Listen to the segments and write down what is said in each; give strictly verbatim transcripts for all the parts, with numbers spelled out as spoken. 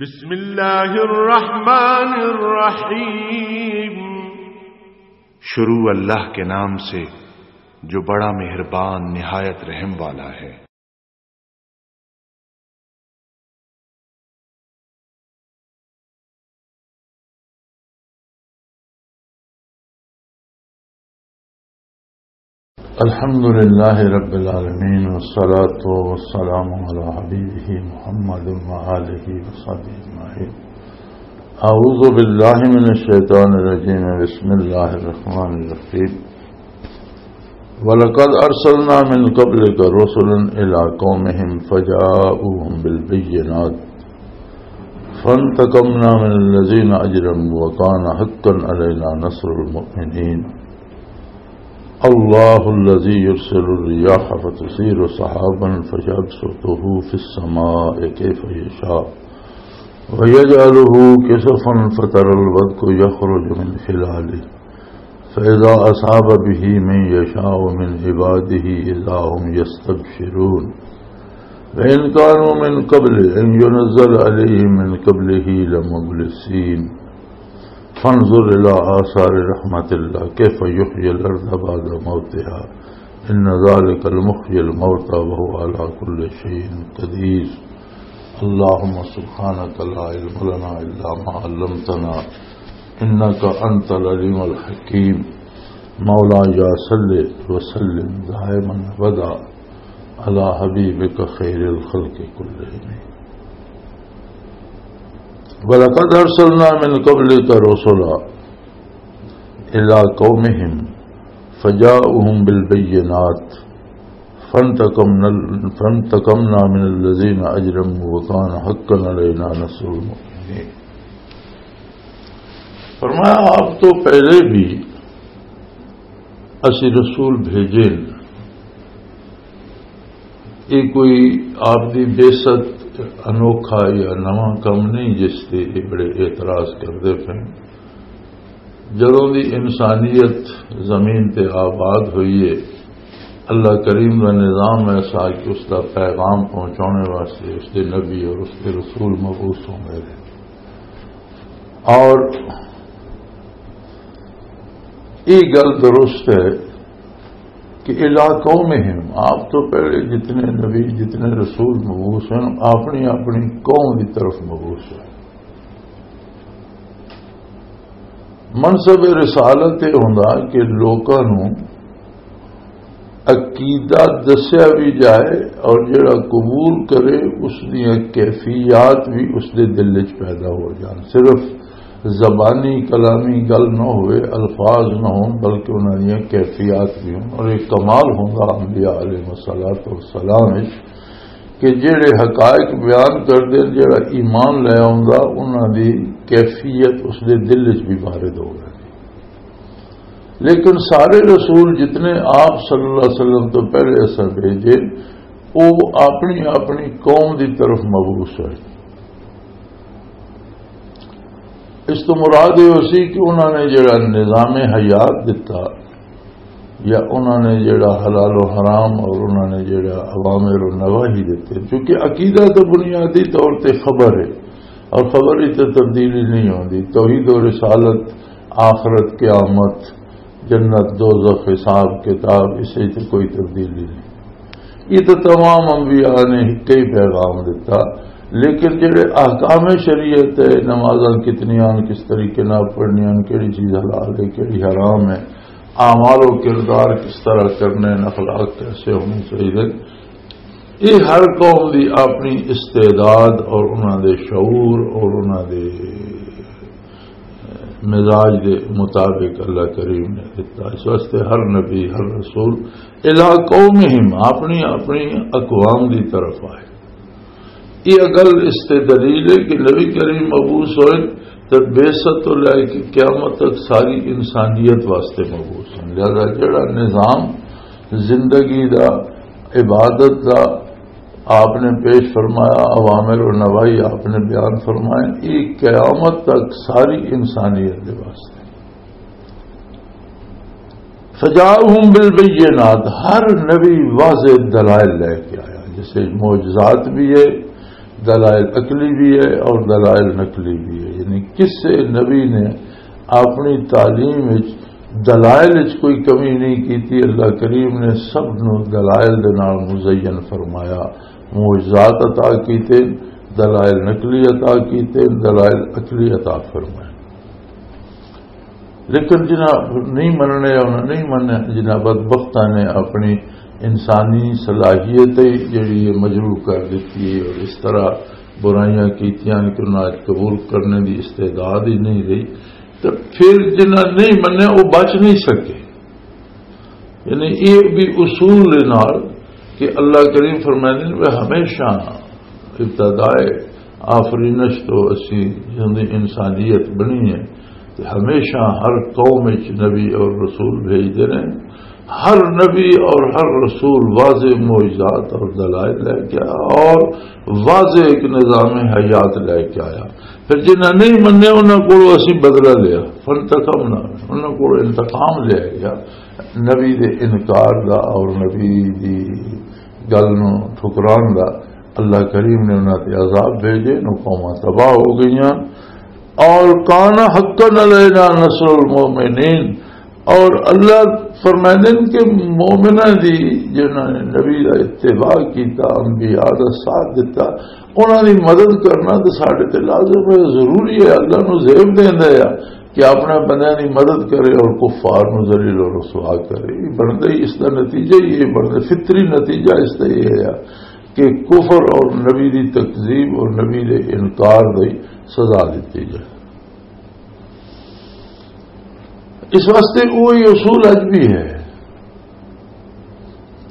بسم اللہ الرحمن الرحیم۔ شروع اللہ کے نام سے جو بڑا مہربان نہایت رحم والا ہے۔ الحمد لله رب العالمين، والصلاة والسلام على حبيبه محمد وآله وصحبه أجمعين. أعوذ بالله من الشيطان الرجيم. بسم الله الرحمن الرحيم. ولقد أرسلنا من قبلك رسلا إلى قومهم فجاءوهم بالبينات فانتقمنا من الذين أجرموا وكان حقا علينا نصر المؤمنين. الله الذي يرسل الرياح فتثير سحابا فيبسطه في السماء كيف يشاء ويجعله كسفا فترى الودق يخرج من خلاله فإذا أصاب به من يشاء من عباده إذا هم يستبشرون. وإن كانوا من قبل أن ينزل عليهم من قبله لمبلسين. فانظر إلى آثار رحمة الله كيف يحيي الأرض بعد موتها إن ذلك لمحيي الموتى وهو على كل شيء قدير. اللهم سبحانك لا علم لنا إلا ما علمتنا إنك أنت العليم الحكيم. مولاي صل وسلم دائما أبدا على حبيبك خير الخلق كلهم. ولقد أرسلنا من قبلك رسلا إلى قومهم فجاءوهم بالبينات فانتقمنا، فانتقمنا من الذين أجرموا وكان حقا علينا نصر المؤمنين. فرمایا، آپ تو پہلے بھی اسی رسول بھیجے نے۔ یہ کوئی آپ دی بعثت انوکھا یا نواں کم نہیں جس تے یہ بڑے اعتراض کردے پے۔ جدوں دی انسانیت زمین تے آباد ہوئی ہے، اللہ کریم دا نظام ایسا کہ اس دا پیغام پہنچانے واسطے اس دے نبی اور اس دے رسول مبعوث ہوں گئے۔ اور یہ گل درست ہے کہ علاقوں میں ہم، آپ تو پہلے جتنے نبی، جتنے رسول مبعوث ہیں، اپنی اپنی قوم کی طرف مبعوث ہیں۔ منصب رسالت یہ ہوندا کہ لوکاں نوں عقیدہ دسیا بھی جائے اور جڑا قبول کرے، اس دیاں کیفیات بھی اس دے دل وچ پیدا ہو جان۔ صرف زبانی کلامی گل نہ ہوئے، الفاظ نہ ہون، بلکہ انہاں دیاں کیفیات بھی ہون۔ اور ایک کمال ہوندا انبیاء علیہ الصلوۃ والسلام وچ کہ جڑے حقائق بیان کردے، جڑا ایمان لے آوندا، انہاں دی کیفیت اس دے دل وچ بھی وارد ہو گئی۔ لیکن سارے رسول جتنے آپ صلی اللہ علیہ وسلم تو پہلے اساں بھیجے، وہ اپنی اپنی قوم دی طرف مبعوث ہوئے۔ اس تو مراد یہ سی کہ انہوں نے جڑا نظام حیات دتا، یا انہوں نے جڑا حلال و حرام اور انہوں نے جڑا اوامر و نواہی دیتے، چونکہ عقیدہ تو بنیادی طور تے خبر ہے، اور خبر ہی تو تبدیلی نہیں ہوندی۔ توحید و رسالت، آخرت، قیامت، جنت، دوزخ، حساب کتاب، اس وچ کوئی تبدیلی نہیں۔ یہ تو تمام انبیاء نے کئی پیغام دیتا، لیکن جڑے احکام شریعت ہے، نمازاں کتنی آن، کس طریقے نال پڑھنی آن، کیڑی چیز حلال ہے، کیڑی حرام ہے، اعمال و کردار کس طرح کرنے ہیں، اخلاق کیسے ہونے چاہیے، یہ ہر قوم دی اپنی استعداد اور انہاں دے شعور اور انہاں دے مزاج دے مطابق اللہ کریم نے دیتا۔ اس واسطے ہر نبی، ہر رسول الی قومہم، اپنی اپنی اقوام دی طرف آئے۔ یہ گل اس تے دلیل ہے کہ نبی کریم مبعوث ہوئے تے بعثت تو لے کے قیامت تک ساری انسانیت واسطے مبعوث ہیں۔ لہذا جڑا نظام زندگی دا، عبادت دا آپ نے پیش فرمایا، اوامر و نواہی آپ نے بیان فرمائے، یہ قیامت تک ساری انسانیت دے واسطے۔ فجاءہم بالبینات، ہر نبی واضح دلائل لے کے آیا، جیسے معجزات بھی ہے، دلائل عقلی بھی ہے اور دلائل نقلی بھی ہے۔ یعنی کسے نبی نے اپنی تعلیم وچ، دلائل وچ کوئی کمی نہیں کی تھی۔ اللہ کریم نے سب نو دلائل دے نال مزین فرمایا، معجزات عطا کیتے، دلائل نقلی عطا کیتے، دلائل عقلی عطا فرمائے۔ لیکن جنہاں نہیں مننے، انہاں نہیں مننے، جنہاں بدبختاں نے اپنی انسانی صلاحیت ہی جڑی ہے مجروح کر دیتی ہے، اور اس طرح برائیاں کیتیاں کہ انہاں اچ قبول کرنے دی استعداد ہی نہیں رہی، تو پھر جنہاں نہیں مننے، وہ بچ نہیں سکے۔ یعنی یہ بھی اصول دے نال کہ اللہ کریم فرمائندے نے، "وہ ہمیشہ ابتدائے آفرینش تو اسی جندی انسانیت بنی ہے، تے ہمیشہ ہر قوم وچ نبی اور رسول بھیجدے نے۔ ہر نبی اور ہر رسول واضح معجزات اور دلائل لے کے آیا اور واضح ایک نظام حیات لے کے آیا۔" پھر جنہاں نہیں مننے، انہاں کولوں اسی بدلہ لیا، فانتقمنا، انہاں کولوں انتقام لیا گیا۔ نبی دے انکار دا اور نبی دی گل نو ٹھکران دا اللہ کریم نے انہاں تے عذاب بھیجے، نو قوماں تباہ ہو گئیاں۔ اور کان حقا علینا نصر المؤمنین، اور اللہ فرمائندے نے کہ مومناں دی، جنہاں نے نبی دا اتباع کیتا، انبیاء دا ساتھ دتا، انہاں دی مدد کرنا تے ساڈے تے لازم ہے، ضروری ہے۔ اللہ نو زیب دیندا ہے کہ اپنے بندیاں دی مدد کرے اور کفار نو ذلیل و رسوا کرے۔ یہ بندا ہی، اس دا نتیجہ ہی یہ بندا، فطری نتیجہ اس دا یہ ہے کہ کفر اور نبی دی تکذیب اور نبی دے انکار دی سزا دتی جائے۔ اس واسطے وہی اصول اج بھی ہے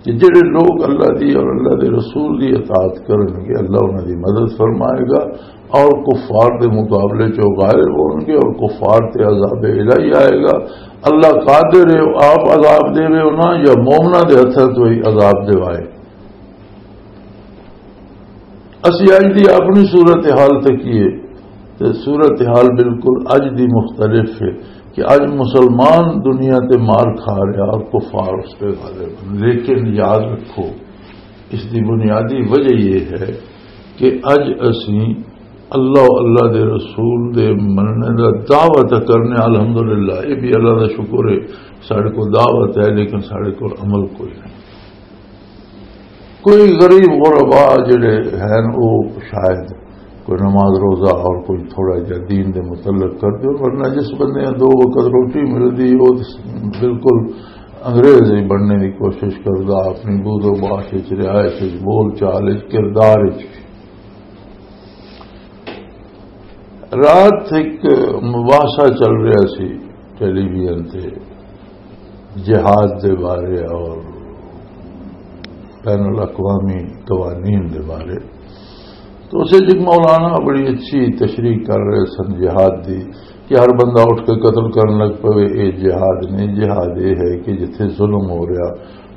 کہ جڑے لوگ اللہ دی اور اللہ دے رسول دی اطاعت کرن گے، اللہ انہاں دی مدد فرمائے گا، اور کفار دے مقابلے چوں غالب ہون گے اور کفار تے عذاب الہی آئے گا۔ اللہ قادر ہے، آپ عذاب دے، انہاں یا مومناں دے ہتھاں تو ہی عذاب دیوائے۔ اسی اج دی اپنی صورتحال تکیے تے صورتحال بالکل اج دی مختلف ہے کہ اج مسلمان دنیا تے مار کھا رہا اور کفار اس پہ غالب ہیں۔ لیکن یاد رکھو، اس دی بنیادی وجہ یہ ہے کہ اج اسی اللہ، اللہ دے رسول دے مننے دا دعویٰ تے کرنے، الحمدللہ، یہ بھی اللہ دا شکر ہے، ساڈے کو دعوت ہے لیکن ساڈے کو عمل کوئی نہیں۔ کوئی غریب غربا جڑے ہیں، وہ شاید کوئی نماز روزہ اور کوئی تھوڑا جہا دین دے متعلق کر دے، ورنہ جس بندے دو وقت روٹی ملدی، وہ بالکل انگریز ہی بننے کی کوشش کردا، اپنی بود و باش وچ، رہائش وچ، بول چال وچ، کردار وچ۔ رات ایک مباحثہ چل رہا سی ٹیلی ویژن تے، جہاد دے بارے اور بین الاقوامی قوانین دے بارے۔ تو اسے جی مولانا بڑی اچھی تشریح کر رہے سن جہاد دی، کہ ہر بندہ اٹھ کے قتل کرن لگ پوے، اے جہاد نہیں۔ جہاد اے ہے کہ جتھے ظلم ہو رہا،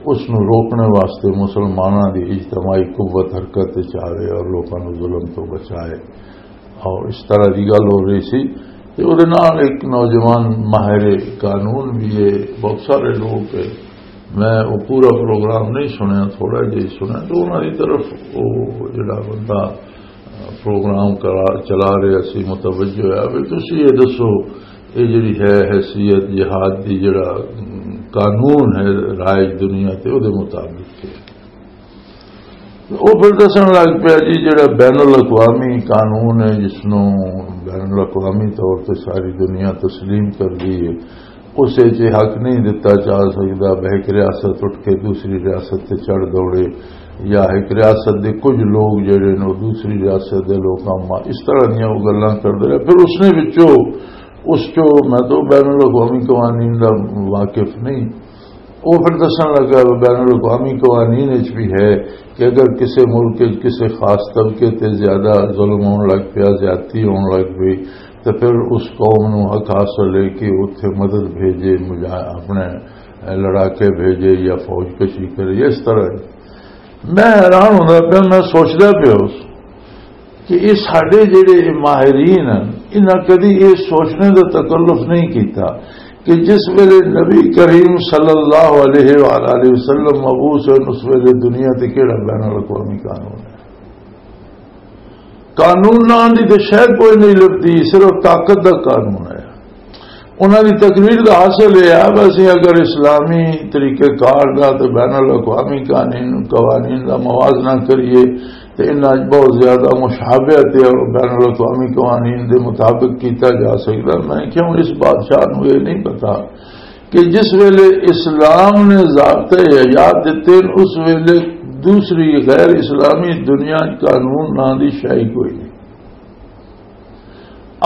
اس نو روکنے واسطے مسلماناں دی اجتماعی قوت حرکت وچ آوے اور لوکاں نو ظلم تو بچائے۔ اور اس طرح دی گل ہو رہی سی۔ تے اودے نال ایک نوجوان ماہر قانون بھی ہے، بہت سارے لوگ ہے، میں وہ پورا پروگرام نہیں سنیا، تھوڑا جہا ہی سنیا، تو انہاں دی طرف وہ جڑا بندہ پروگرام کرا، چلا رہا سی، متوجہ ہویا، بھی تسی یہ دسو، یہ جڑی ہے حیثیت جہاد دی، جڑا قانون ہے رائج دنیا تے، اودے مطابق کیا ہے؟ وہ پھر دسن لگ پیا جی، جڑا بین الاقوامی قانون ہے، جس نو بین الاقوامی طور تے ساری دنیا تسلیم کر دی ہے، اسے چ حق نہیں دتا جا سکدا۔ بہ ایک ریاست اٹھ کے دوسری ریاست تے چڑھ دوڑے، یا ایک ریاست دے کچھ لوگ جڑے نے، وہ دوسری ریاست دے لوکاں ما-، اس طرح دیاں وہ گلاں کردے رہے۔ پھر اس نے وچوں، اس چوں میں تو بین الاقوامی قوانین دا واقف نہیں، وہ پھر دسن لگا، بین الاقوامی قوانین وچ بھی ہے کہ اگر کسی ملک وچ کسی خاص طبقے تے زیادہ ظلم ہون لگ پیا، زیادتی ہون لگ پئی، تو پھر اس قوم نو حق حاصل ہے کہ اتھے مدد بھیجے، مجا-، اپنے لڑاکے بھیجے یا فوج کشی کرے، اس طرح۔ میں حیران ہوندا پیا، میں سوچدا پیا اس کہ یہ ساڈے جڑے ماہرین ہیں، انہاں کدی یہ سوچنے دا تکلف نہیں کیتا کہ جس ویلے نبی کریم صلی اللہ علیہ وآلہ وسلم مبعوث ہوئے، اس ویلے دنیا تے کیڑا بین الاقوامی قانون ہے۔ قانون نام دی تے شے کوئی نہیں لبھدی، صرف طاقت دا قانون ہے۔ انہاں دی تقریر دا حاصل یہ ہے، بس اگر اسلامی طریقہ کار دا تے بین الاقوامی قانون، قوانین دا موازنہ کریے تے انہاں وچ بہت زیادہ مشابہت ہے اور بین الاقوامی قوانین دے مطابق کیتا جا سکدا۔ میں کیوں اس بادشاہ نوں یہ نہیں پتا کہ جس ویلے اسلام نے ضابطے حیات دتے، اس ویلے دوسری غیر اسلامی دنیا چ قانون نام دی شے ہی کوئی نہیں۔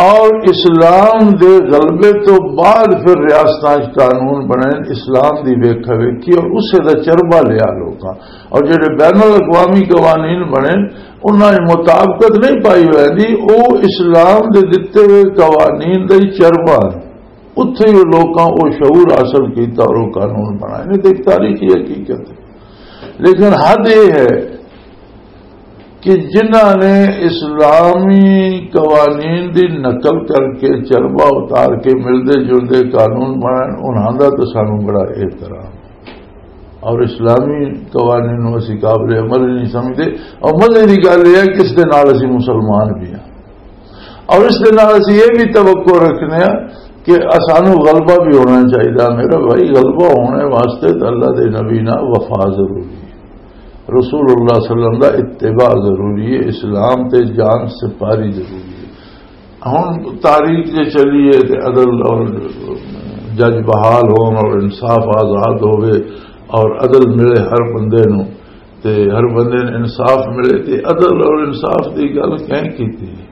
اور اسلام دے غلبے تو بعد پھر ریاستاں چ قانون بنے، اسلام دی ویکھا ویکھی اور اسے دا چربا لیا لوکاں۔ اور جڑے بین الاقوامی قوانین بنے، انہاں دی مطابقت نہیں پائی ہوئی دی، او اسلام دے دتے ہوئے قوانین دا ہی چربا ہے۔ اتھے ہی لوکاں او شعور حاصل کیتا اور او قانون بنائے۔ نہیں تو ایک تاریخی حقیقت ہے۔ لیکن حد یہ ہے کہ جنہاں نے اسلامی قوانین دی نقل کر کے چربا اتار کے ملدے جلدے قانون بنائے، انہاں دا تو سانوں بڑا احترام۔ اور اسلامی قوانین نوں اسی قابل عمل نہیں سمجھتے۔ اور مزے دی گل یہ ہے کہ اس دے نال اسی مسلمان بھی ہیں، اور اس دے نال اسی یہ بھی توقع رکھنے ہیں کہ اسانوں غلبہ بھی ہونا چاہیے۔ میرا بھائی، غلبہ ہونے واسطے تو اللہ دے نبی نال وفا ضروری ہے، رسول اللہ صلی اللہ علیہ وسلم دا اتباع ضروری ہے، اسلام تے جان سپاری ضروری ہے۔ ہن تاریخ جے چلی ہے تے عدل اور جج بحال ہون اور انصاف آزاد ہوئے اور عدل ملے ہر بندے نوں، تے ہر بندے نوں انصاف ملے، تے عدل اور انصاف دی گل کہیں کیتی ہے؟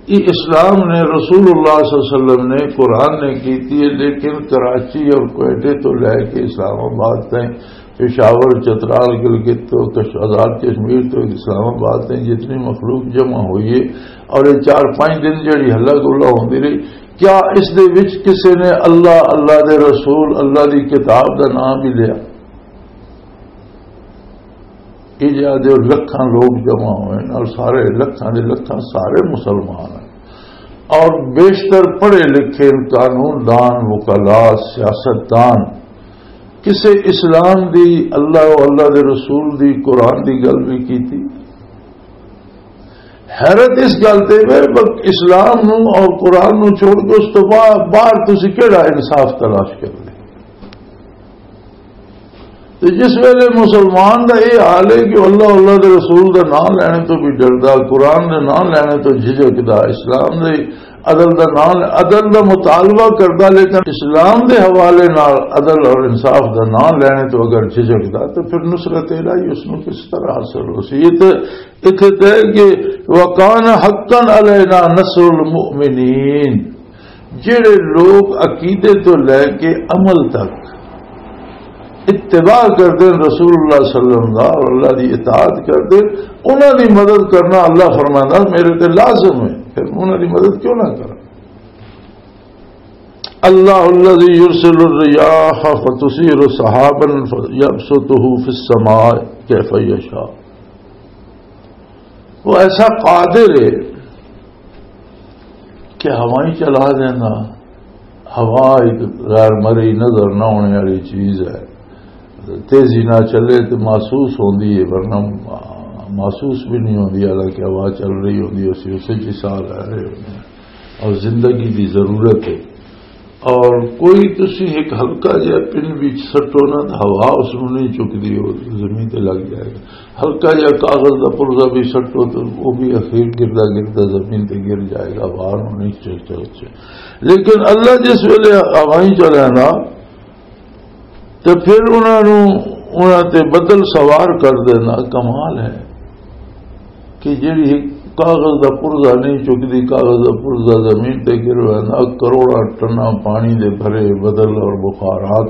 یہ اسلام نے، رسول اللہ صلی اللہ علیہ وسلم نے، قرآن نے کیتی ہے، لیکن کراچی اور کوئٹے تو لے کے اسلام آباد تائیں، پشاور، چترال، گلگت تو کش-، آزاد کشمیر تو اسلام آباد تائیں جتنی مخلوق جمع ہوئی ہے اور یہ چار پانچ دن جڑی ہلا گلا ہوندی رہی، کیا اس دے وچ کسے نے اللہ، اللہ دے رسول، اللہ دی کتاب دا نام بھی لیا؟ یہ جہاں دے لکھاں لوگ جمع ہوئے ہیں اور سارے لکھاں دے لکھاں سارے مسلمان ہیں اور بیشتر پڑھے لکھے قانون دان، وکلاء، سیاست دان۔ کسے اسلام دی، اللہ و اللہ دے رسول دی، قرآن دی گل بھی کیتی؟ حیرت اس گل تے وے، بس اسلام نو اور قرآن نو چھوڑ کے اس تو با-، باہر تسی کیڑا انصاف تلاش کر لے؟ تے جس ویلے مسلمان دا یہ حال ہے کہ اللہ، اللہ دے رسول دا نام لینے تو بھی ڈردا، قرآن دے نام لینے تو جھجکدا، اسلام دے عدل دا نام، عدل دا مطالبہ کردا، لیکن اسلام دے حوالے نال عدل اور انصاف دا نام لینے تو اگر جھجکدا، تو پھر نصرت الہی اس نو کس طرح حاصل ہو سی؟ یہ تے اتھے تے کہ وَكَانَ حَقًّا عَلَيْنَا نَصْرُ الْمُؤْمِنِينَ، جڑے لوگ عقیدے تو لے کے عمل تک اتباع کردے رسول اللہ صلی اللہ علیہ وسلم دا اور اللہ دی اطاعت کردے، انہاں دی مدد کرنا، اللہ فرماندا، میرے تے لازم ہے، پھر انہاں دی مدد کیوں نہ کراں؟ اللہ الذی یرسل الرياح فتثير سحابا فيبسطه في السماء كيف يشاء۔ وہ ایسا قادر ہے کہ ہوائیں چلا دینا۔ ہوا ایک غیر مرئی نظر نہ ہونے والی چیز ہے، تیزی نہ چلے تو محسوس ہوندی ہے، ورنہ محسوس بھی نہیں ہوندی، حالانکہ ہوا چل رہی ہوندی ہے، اسی، اسے چ ساہ لے رہے ہوندے ہیں اور زندگی دی ضرورت ہے۔ اور کوئی تسی ایک ہلکا جہا پن بھی سٹو نا تو ہوا اس نوں نہیں چکدی، وہ زمین تے لگ جائے گا۔ ہلکا جہا کاغذ دا پرزہ بھی سٹو تو وہ بھی اخیر گردا گردا زمین تے گر جائے گا، ہوا نوں نہیں چک چک۔ لیکن اللہ جس ویلے ہوائیں چلے نا، تے پھر انہاں نوں، انہاں تے بدل سوار کر دینا کمال ہے کہ جڑی کاغذ دا پرزہ نہیں چکدی، کاغذ دا پرزہ زمین تے گر ویندا، کروڑاں ٹناں پانی دے بھرے بدل اور بخارات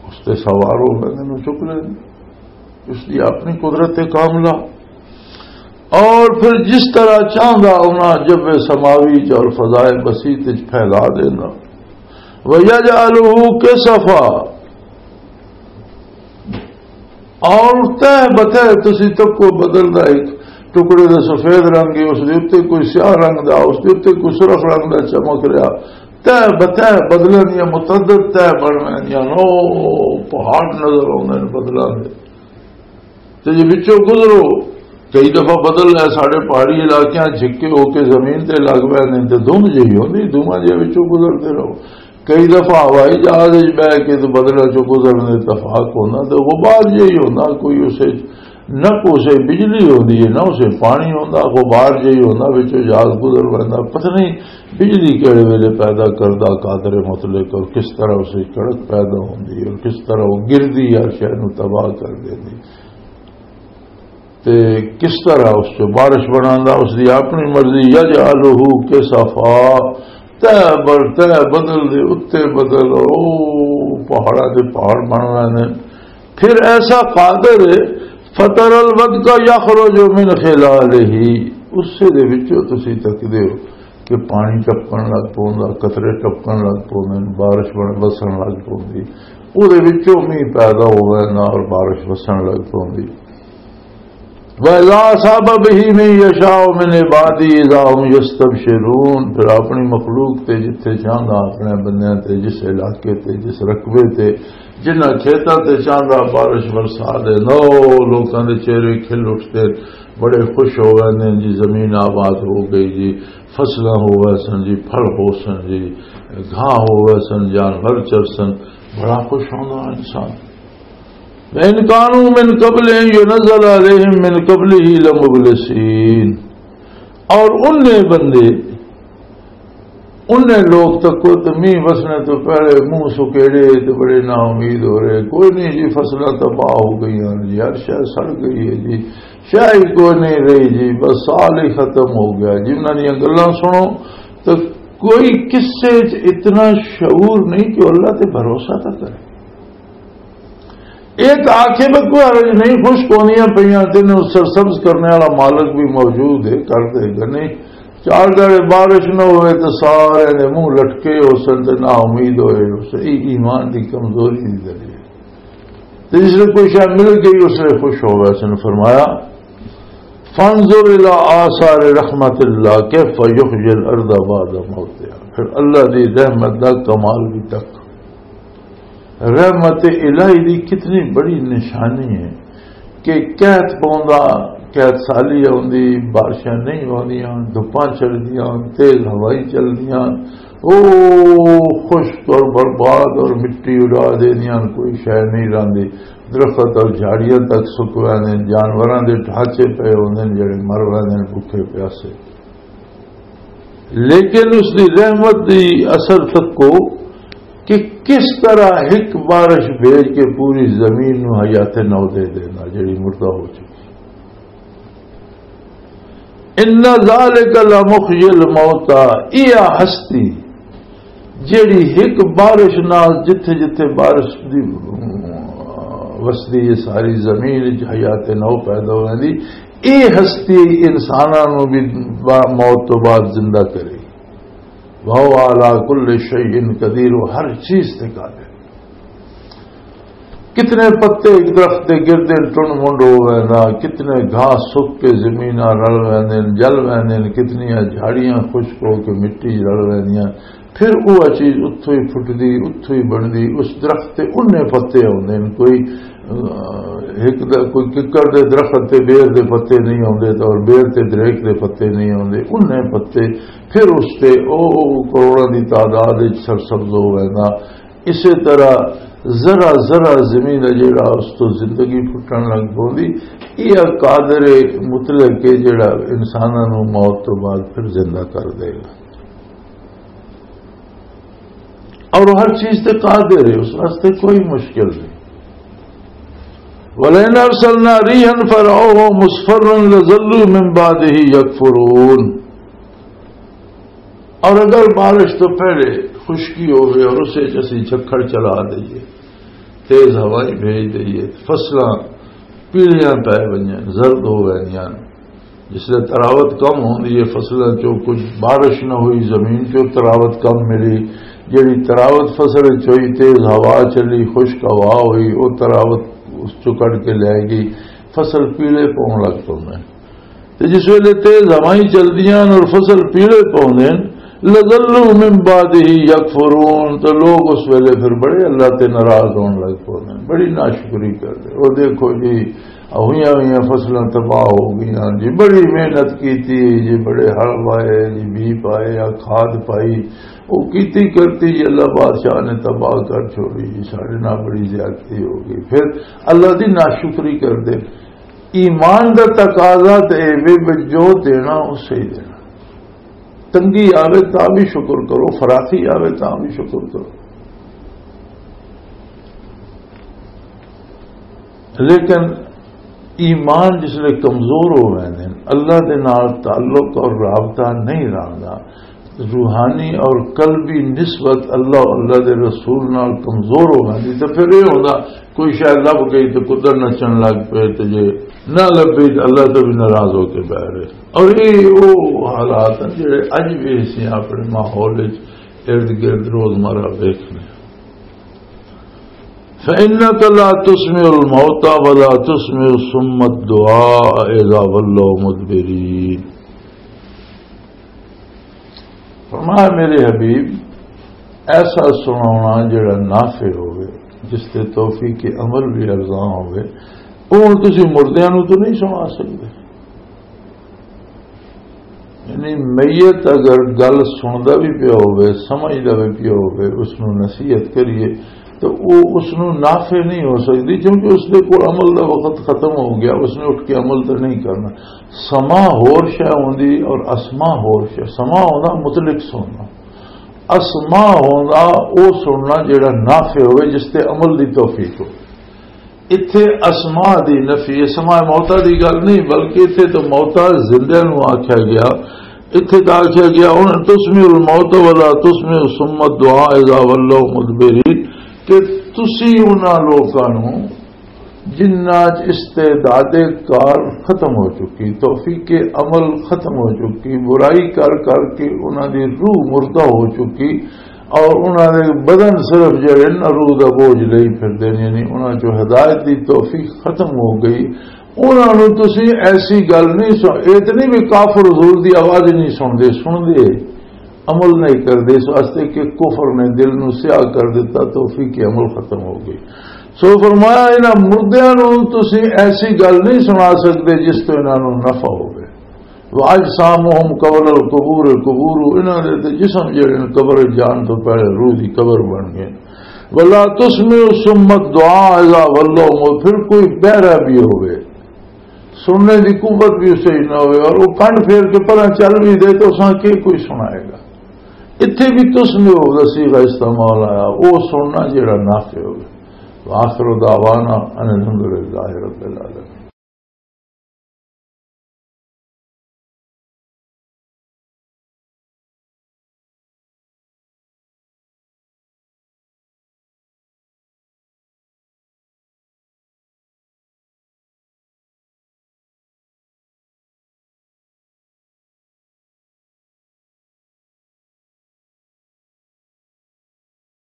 اس تے سوار ہو ویندے نوں چک لیندے۔ اس دی اپنی قدرت کاملہ۔ اور پھر جس طرح چاہندا انہاں جب سماوی چ اور فضائے بسیط چ پھیلا دینا۔ وَيَجْعَلُهُ كِسَفًا، اور تہ بتہ تسی تکو بدل دا ایک ٹکڑے دا سفید رنگ ہے، اس دے اُتے کوئی سیاہ رنگ دا، اس دے اُتے کوئی سرخ رنگ دا چمک رہا، تہ بتہ بدلاں دیاں متعدد تہ بن ویندیاں نو، پہاڑ نظر آوندے نے بدلاں دے۔ تے جے وچوں گزرو کئی دفعہ بدل ہے ساڈے پہاڑی علاقیاں جھکے ہو کے زمین تے لگ پے نے تے دھند جہی ہوندی، دھواں جہے وچوں گزرتے رہو۔ کئی دفعہ ہوائی جہاز وچ بہ کے تے بدلاں چوں گزرن دے اتفاق ہوندا تے غبار جہی ہوندا، کوئی اسے نہ کوئی اسے بجلی ہوندی ہے، نہ اسے پانی ہوندا، غبار جہی ہوندا، وچوں جہاز گزر پیندا۔ پتہ نہیں بجلی کہڑے ویلے پیدا کردا قادر مطلق، اور کس طرح اسے کڑک پیدا ہوندی ہے اور کس طرح وہ گردی ہر شے نوں تباہ کر دیندی۔ تے کس طرح اس چ بارش بناندا، اس دی اپنی مرضی، یجعلہ کسفا، تہ بر تہ بدل دے اُتے بدل، او پہاڑاں دے پہاڑ بن رہے نے۔ پھر ایسا قادر ہے، فتر الودق یخرج من خلالہ، اسے دے وچوں تسی تکدے ہو کہ پانی ٹپکن لگ پوندا، قطرے ٹپکن لگ پوندے نے، بارش بن-، وسن لگ پوندی، او دے وچوں مینہ پیدا ہووے نا اور بارش وسن لگ پوندی۔ وَإِذَا أَصَابَ بِهِ مَن يَشَاءُ مِنْ عِبَادِهِ إِذَا هُمْ يَسْتَبْشِرُونَ۔ پھر اپنی مخلوق تے جتھے چاہندا، اپنے بندیاں تے جس علاقے تے، جس رقبے تے، جنہاں کھیتاں تے چاہندا بارش برسا دے، نو لوکاں دے چہرے کھل اٹھتے، بڑے خوش ہو گئے نے جی، زمین آباد ہو گئی جی، فصلاں ہو گئے سن جی، پھل ہو سن جی، گھاہ ہو گئے سن، جانور چر سن، بڑا خوش ہوندا انسان۔ وَإِن كَانُوا مِن قَبْلِ أَن يُنَزَّلَ عَلَيْهِم مِّن قَبْلِهِ لَمُبْلِسِينَ۔ اور انہیں بندے، انہیں لوگ تکو تے مینہ وسنے تو پہلے منہ سکیڑے تے بڑے نا امید ہو رہے، کوئی نہیں جی، فصلاں تباہ ہو گئی ہیں جی، ہر شے سڑ گئی ہے جی، شے ہی کوئی نہیں رہی جی، بس سال ہی ختم ہو گیا جی۔ انہاں دیاں گلاں سنو تے کوئی کسے چ اتنا شعور نہیں کہ اللہ تے بھروسہ تک کرے۔ ایک آکھے میں کوئی حرج نہیں، خشک ہوندیاں پیاں، تینوں سرسبز کرنے والا مالک بھی موجود ہے، کر دے گا۔ نہیں، چار دہاڑے بارش نہ ہوئے تو سارے نے منہ لٹکے ہو سن تے نا امید ہوئے ہو سن۔ یہ ایمان دی کمزوری دی دلیل ہے۔ تے جس نے کوئی شے مل گئی، اس نے خوش ہو گیا۔ اس نے فرمایا، فانظر الی آثار رحمت اللہ کیف یحیی الارض بعد موتها۔ پھر اللہ دی رحمت دا کمال بھی تک۔ رحمت الہی دی کتنی بڑی نشانی ہے کہ قحط پوندا، قحط سالی آوندی، بارشاں نہیں ہوندیاں، دھپاں چڑھدیاں، تیز ہوائیں چلدیاں، او خشک اور برباد اور مٹی اڑا دیندیاں، کوئی شے نہیں رہندی۔ درخت اور جھاڑیاں تک سک ویندے، جانوراں دے ڈھانچے پئے ہوندے نے جڑے مر ویندے نے بھوکے پیاسے۔ لیکن اس دی رحمت دی اثر تکو کہ کس طرح ایک بارش بھیج کے پوری زمین نو حیات نو دے دینا جڑی مردہ ہو چکی۔ ان ذالک لمحیی الموتى، یہ ہستی جیڑی ایک بارش نال جتھے جتھے بارش دی وسدی ہے ساری زمین وچ حیات نو پیدا ہوندی، اے ہستی انساناں نو بھی با-، موت تو بعد زندہ کرے۔ وَهُوَ عَلَى كُلِّ شَيْءٍ قَدِيرٌ، وہ ہر چیز تے قادر۔ کتنے پتے ایک درخت دے گردے ٹن منڈ ہو گئے نا، کتنے گھاس سک کے زمیناں رل ویندے نے، جل ویندے نے، کتنیاں جھاڑیاں خشک ہو کے مٹی رل ویندیاں۔ پھر وہ چیز اتھوں ہی پھٹدی، اتھوں ہی بندی، اس درخت تے انہیں پتے ہوندے نے۔ کوئی، آ، ایک دا-، کوئی ککڑ دے درخت تے بیر دے پتے نہیں ہوندے تے اور بیر تے دریک دے پتے نہیں ہوندے، انہیں پتے۔ پھر اس تے او کروڑاں دی تعداد وچ سرسبز ہو ویندا۔ اسی طرح ذرا ذرا زمین ہے جیڑا اس تو زندگی پھٹن لگ پوندی۔ یہ قادر مطلق ہے جیڑا انساناں نو موت تو بعد پھر زندہ کر دے گا۔ اور ہر چیز تے قادر ہے، اس واسطے کوئی مشکل نہیں۔ وَلَئِنْ أَرْسَلْنَا رِيحًا فَرَأَوْهُ مُصْفَرًّا لَظَلُّوا مِنْ بَعْدِهِ يَكْفُرُونَ۔ اور اگر بارش تو پہلے خشکی ہوئے اور اسے چ اسی جھکھڑ چلا دئیے، تیز ہوائیں بھیج دئیے، فصلاں پیلیاں پے ونجن، زرد ہو ویندیاں۔ جس لئے تراوت کم ہوندی ہے، فصلاں چوں کچھ بارش نہ ہوئی، زمین چوں تراوت کم ملی، جڑی تراوت فصل وچ ہوئی، تیز ہوا چلی، خشک ہوا ہوئی، وہ تراوت اس چوں کڈ کے لے گئی، فصل پیلے پون لگ پوندے۔ تے جس ویلے تیز ہوائیں چلدیاں اور فصل پیلے پوندے نے، لَظَلُّوا مِن بَعْدِهِ يَكْفُرُونَ، تو لوگ اس ویلے پھر بڑے اللہ تے ناراض ہون لگ پوندے، بڑی ناشکری کردے۔ او دیکھو جی، ہوئیاں ہوئیاں فصلاں تباہ ہو گئیاں جی، بڑی محنت کیتی جی، بڑے ہل وائے جی، بی پائے یا کھاد پائی، وہ کیتی کرتی جی، اللہ بادشاہ نے تباہ کر چھوڑی جی، ساڈے نال بڑی زیادتی ہو گئی۔ پھر اللہ دی ناشکری کردے۔ ایمان دا تقاضا تے اے وے جو دینا، اسے ہی دینا۔ تنگی آوے تاں بھی شکر کرو، فراخی آوے تاں بھی شکر کرو۔ لیکن ایمان جس لئے کمزور ہو ویندے نے، اللہ دے نال تعلق اور رابطہ نہیں رہندا، روحانی اور قلبی نسبت اللہ، اللہ دے رسول نال کمزور ہو ویندی، تے پھر یہ ہوندا کوئی شاید لب گئی تے قدر نچن لگ پئے، تے جے نہ لبھی تے اللہ تو بھی ناراض ہو کے بہ رہے۔ اور یہ وہ حالات ہیں جڑے اج بھی اسی اپنے ماحول وچ ارد گرد روزمرہ ویکھنے۔ فَإِنَّكَ لَا تُسْمِعُ الْمَوْتَى وَلَا تُسْمِعُ الصُّمَّ الدُّعَاءَ إِذَا وَلَّوْا مُدْبِرِينَ۔ فرمایا، میرے حبیب، ایسا سناونا جڑا نافع ہوئے، جس تے توفیق عمل بھی ارزاں ہوئے، وہ ہن تسی مردیاں نوں تو نہیں سنا سکدے۔ یعنی میت اگر گل سندا بھی پیا ہوئے، سمجھدا بھی پیا ہوئے، اس نوں نصیحت کریے تو وہ اس نوں نافع نہیں ہو سکدی، کیونکہ اس دے کول عمل دا وقت ختم ہو گیا، اس نے اٹھ کے عمل تو نہیں کرنا۔ سماع ہور شے ہوندی اور اسماع ہور شے۔ سماع ہوندا مطلق سننا، اسماع ہوندا او سننا جڑا نافع ہوئے، جس تے عمل دی توفیق ہو۔ اتھے اسماع دی نفی، سماع موتا دی گل نہیں، بلکہ اتھے تو موتا زندہ نو آکھیا گیا۔ اتھے تو آکھیا گیا، ان تسمع الموت ولا تسمع الصم الدعاء اذا ولوا مدبرین، کہ تسی انہاں لوکاں نو جنہاں چ استعداد کار ختم ہو چکی، توفیق عمل ختم ہو چکی، برائی کر کر کے انہاں دی روح مردہ ہو چکی، اور انہاں دے بدن صرف جڑے نا روح دا بوجھ لئی پھردے نے، یعنی انہاں چوں ہدایت دی توفیق ختم ہو گئی۔ انہاں نوں تسی ایسی گل نہیں سن، اے تے نہیں بھی کافر حضور دی آواز نہیں سن دے، سن دے، عمل نہیں کر دے، اس واسطے کہ کفر نے دل نوں سیاہ کر دیتا، توفیق عمل ختم ہو گئی۔ سو فرمایا، انہاں مردیاں نوں تسی ایسی گل نہیں سنا سکدے جس تو انہاں نوں نفع ہوے۔ وَأَجْسَامُهُمْ قَبْلَ الْقُبُورِ، قبور، انہاں دے تے جسم جڑے نے قبر جان تو پہلے روح دی قبر بن گئے۔ وَلَا تُسْمِعُ الصُّمَّ الدُّعَاءَ إِذَا وَلَّوْا مُدْبِرِينَ، پھر کوئی بہرا بھی ہوئے، سننے دی قوت بھی اسے ہی نہ ہوئے، اور وہ کنڈ پھیر کے پرا چل بھی دے تو اساں کی کوئی سنائے گا؟ اتھے بھی تُسْمِعُ دا صیغہ استعمال آیا، وہ سننا جڑا نافع ہوئے۔ وآخر دعوانا ان الحمد للہ رب العالمین۔